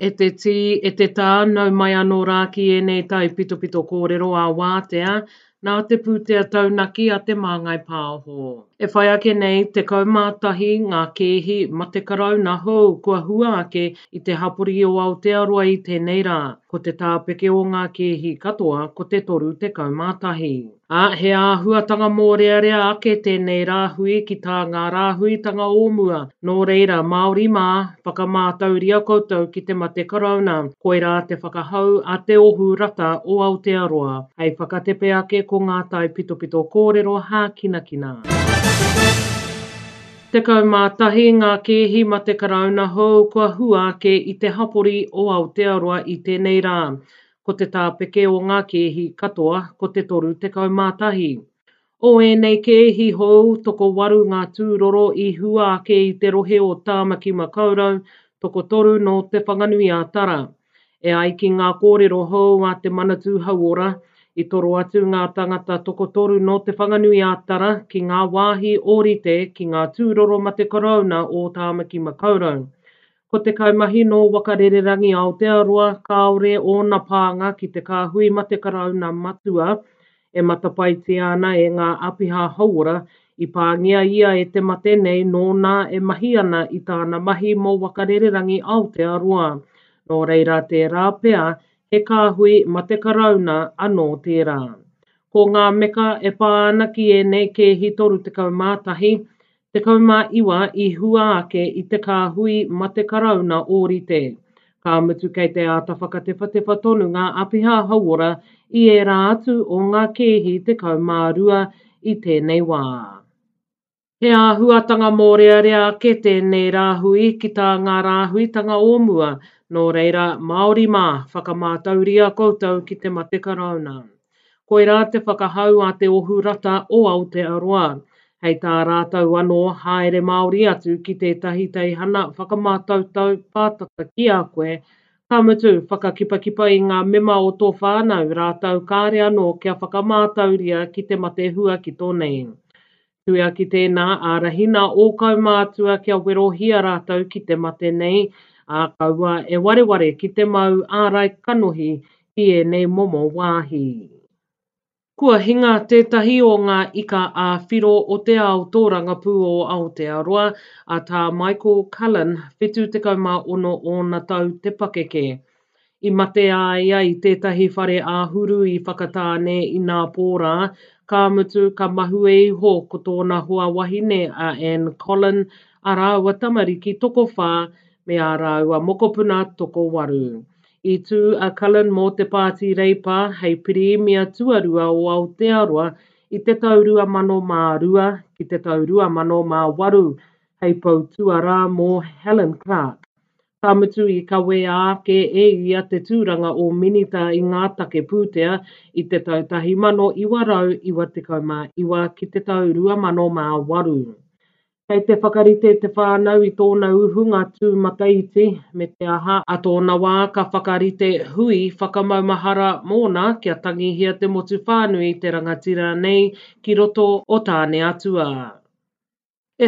E te tī, e te tā, nau mai anō rā ki ēnei taipitopito kōrero ā-wātea nā te pūtea taunaki a Te Māngai Pāho. E whai ake nei, 11 ngā kēhi mate karauna hou kua hua ake i te hapori o Aotearoa i tēnei rā. Ko te tāpeke o ngā kēhi katoa ko te 31. Ā, he āhuatanga mōrearea ake tēnei rāhui ki tā ngā rāhuitanga o mua, nō reira, Māori mā, whakamātauria koutou ki te mate Karauna, koirā te whakahau a Te Ohu Rata o Aotearoa, hei whakatepe ake ko ngā taipitopito kōrero hākinakina. 11 ngā kēhi mate Karauna hou kua hua ake i te hapori o Aotearoa i tēnei rā, Ko te tāpeke o ngā kēhi katoa ko te 31. O ēnei kēhi hou, tokowaru ngā tūroro i hua ake i te rohe o Tāmaki Makaurau, tokotoru nō Te Whanganui-a-Tara. E ai ki ngā kōrero hou a Te Manatū Hauora, i toro atu ngā tangata tokotoru nō Te Whanganui-a-Tara ki ngā wāhi ōrite ki ngā tūroro mate korouna o Tāmaki Makaurau. Ko te kaimahi nō Waka Rererangi Aotearoa kāore ōna pānga ki te kāhui mate karauna matua e matapaetia ana e ngā āpiha hauora, i pāngia ia e te mate nei nōna e mahi ana i tāna mahi mō Waka Rererangi Aotearoa. Nō reira tērā pea he kāhui mate karauna anō tērā. Ko ngā meka e pā ana ki ēnei kēhi 31, 19 i hua ake i te kāhui mate karauna ōrite. Ka mutu kei te āta whakatewhatewha tonu ngā āpiha hauora i ērā atu o ngā kēhi 12 i tēnei wā. He āhuatanga mōrearea ake tēnei rāhui ki tā ngā rāhuitanga o mua, nō reira, Māori mā, whakamātauria koutou ki te mate karauna. Koirā te whakahau a Te Ohu Rata o Aotearoa. Hei tā rātou anō, haere Māori atu ki tētahi teihana whakamātautau pātata ki a koe, ka mutu, whakakipakipa i ngā mema o tō whānau rātou kāre anō kia whakamātauria ki te mate huakito nei. Tuia ki tēnā, ārahina ō kaumātua kia werohia rātou ki te mate nei, ā, kaua e wareware ki te mau ārai kanohi ki ēnei momo wāhi. Kua hinga tētahi o ngā ika ā-whiro o te ao tōrangapū o Aotearoa, a Tā Michael Cullen, 76 ōna tau te pakeke. I mate a ia i tētahi whare āhuru i Whakatāne inapō rā, ka mutu ka mahue iho ko tōna hoa wahine a Anne Collin, ā rāua tamariki tokowhā me ā rāua mokopuna tokowaru. I tū a Cullen mō te Pāti Reipa hei Pirimia tuarua o Aotearoa i te tau 2002 ki te tau 2008 hei pou tuarā mō Helen Clark. Ka mutu i kawea ake e ia te tūranga o Minita i ngā take pūtea i te tau 1999 ki te tau 2008. Kei te whakarite te whānau i tōna uhunga tūmataiti, me te aha, a tōna wā ka whakarite hui whakamaumahara mōna kia tangihia te motu whānui te rangatira nei ki roto o Tāneatua.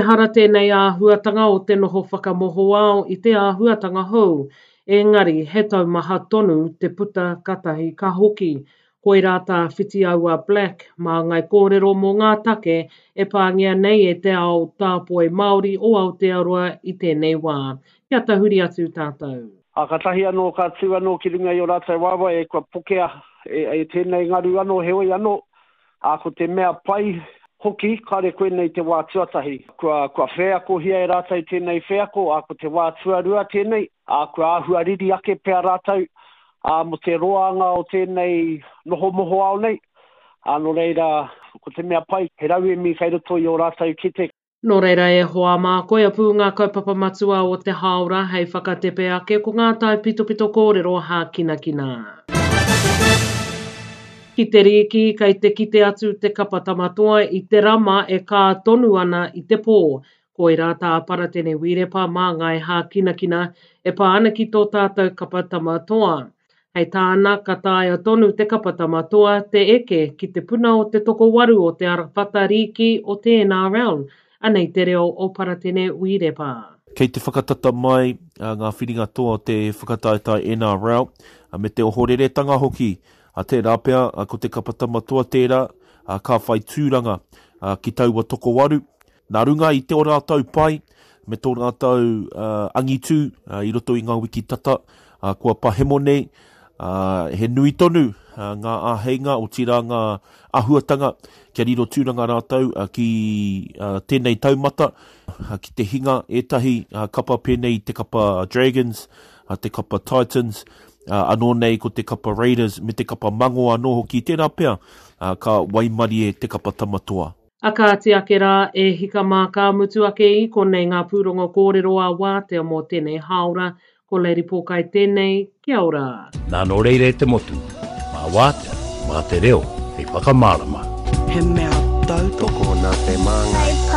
Ehara tēnei āhuatanga o te noho whakamohoao i te āhuatanga hou, engari he taumaha tonu te puta katahi ka hoki. Koirā tā Whitiaua Black māngai kōrero mō ngā take e pāngia nei e te ao tāpoi Māori o Aotearoa i tēnei wā. Kia tahuri atu tātou. Ā, kātahi anō ka tū anō ki runga i ō rātou waewae, e kua pokea e tēnei ngaru anō, heoi anō, Ā, ko te mea pai hoki, kāore koinei te wā tuatahi. Kua, kua wheakohia e rātou tēnei wheako, ā, ko te wā tuarua tēnei, ā, kua āhua riri ake pea rātou, ā, mō te roanga o tēnei noho mohoao nei. Ā, nō reira, ko te mea pai, he rauemi kei roto i ō rātou kete. Nō reira e hoa mā, koia pū ngā kaupapa matua o te hāora hei whakatepe ake ko ngā taipitopito kōrero hākinakina. Ki te rīki, kei te kite atu te kapa Tamatoa i te rama e kā tonu ana i te pō. Koirā tā Paratene Wirepa māngai hākinakina e pā ana ki tō tātou kapa Tamatoa. Hei tāna, ka taea tonu te kapa Tama Toa te eke ki te puna o te tokowaru o te arawhata rīki o te NRL. Anei te reo o Paratene Wirepa. Kei te whakatata mai ngā whiringa toa o te whakataetae NRL me te ohoreretanga hoki. Tērā pea ko te kapa Tama Toa tērā ka whai tūranga ki taua tokowaru. Nā runga i tō rātou pai me tō rātou angitū i roto i ngā wiki tata kua pahemo nei, he nui tonu ngā āheinga, otirā ngā āhuatanga kia riro tūranga rātou ki tēnei taumata, ki te hinga ētahi kapa pēnei i te kapa Dragons, te kapa Titans, anō nei ko te kapa Raiders me te kapa Mango anō hoki, tērā pea ka waimarie te kapa Tamatoa. A kāti ake rā, e hika mā ka mutu ake i konei ngā pūrongo kōrero a Wātea mō tēnei hāora. Ko Lady Pōkai tēnei, kia ora. Nā nō reira e te motu, mā Wātea, mā te reo hei whakamārama. He mea tautoko nā te māngai.